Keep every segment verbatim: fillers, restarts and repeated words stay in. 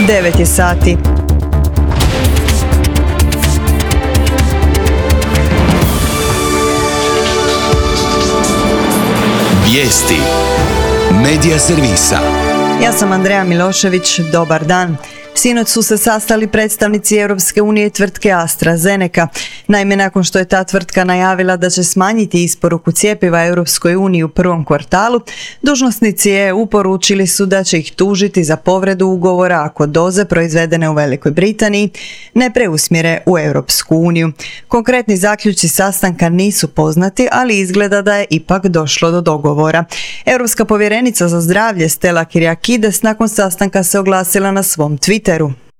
devet je sati. Vijesti Medija servisa. Ja sam Andreja Milošević, dobar dan. Sinoć su se sastali predstavnici Europske unije i tvrtke AstraZeneca. Naime, nakon što je ta tvrtka najavila da će smanjiti isporuku cjepiva Europskoj uniji u prvom kvartalu, dužnosnici E U poručili su da će ih tužiti za povredu ugovora ako doze proizvedene u Velikoj Britaniji ne preusmjere u Europsku uniju. Konkretni zaključci sastanka nisu poznati, ali izgleda da je ipak došlo do dogovora. Europska povjerenica za zdravlje Stella Kyriakides nakon sastanka se oglasila na svom Twitteru.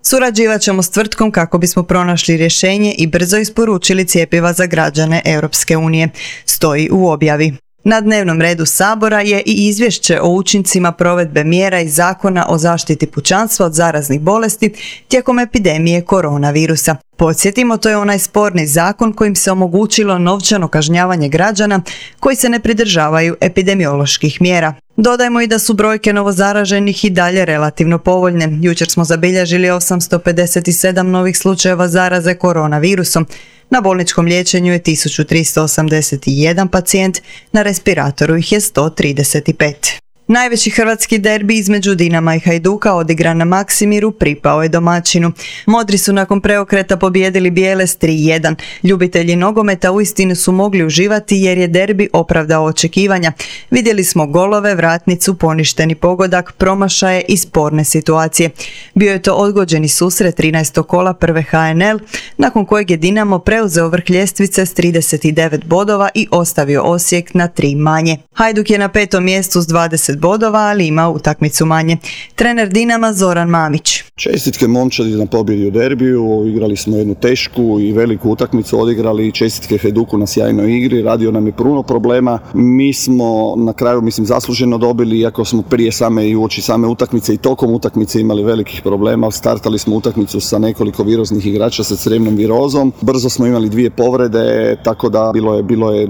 Surađivat ćemo s tvrtkom kako bismo pronašli rješenje i brzo isporučili cjepiva za građane Europske unije, stoji u objavi. Na dnevnom redu Sabora je i izvješće o učincima provedbe mjera iz Zakona o zaštiti pučanstva od zaraznih bolesti tijekom epidemije koronavirusa. Podsjetimo, to je onaj sporni zakon kojim se omogućilo novčano kažnjavanje građana koji se ne pridržavaju epidemioloških mjera. Dodajmo i da su brojke novozaraženih i dalje relativno povoljne. Jučer smo zabilježili osamsto pedeset sedam novih slučajeva zaraze koronavirusom. Na bolničkom liječenju je tisuću tristo osamdeset jedan pacijent, na respiratoru ih je sto trideset pet. Najveći hrvatski derbi između Dinama i Hajduka odigran na Maksimiru pripao je domaćinu. Modri su nakon preokreta pobijedili bijele s tri jedan. Ljubitelji nogometa uistinu su mogli uživati jer je derbi opravdao očekivanja. Vidjeli smo golove, vratnicu, poništeni pogodak, promašaje i sporne situacije. Bio je to odgođeni susret trinaestog kola prve H N L, nakon kojeg je Dinamo preuzeo vrh ljestvice s trideset devet bodova i ostavio Osijek na tri manje. Hajduk je na petom mjestu s dvadeset bodova, ali ima utakmicu manje. Trener Dinama Zoran Mamić. Čestitke momčadi na pobjedi u derbiju, igrali smo jednu tešku i veliku utakmicu odigrali, čestitke Hajduku na sjajnoj igri, radio nam je puno problema. Mi smo na kraju, mislim, zasluženo dobili, iako smo prije same i uoči same utakmice i tokom utakmice imali velikih problema. Startali smo utakmicu sa nekoliko viroznih igrača sa crevnom virozom. Brzo smo imali dvije povrede, tako da bilo je, bilo je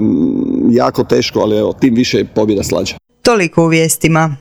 jako teško, ali evo, tim više je pobjeda slađa. Toliko u vijestima.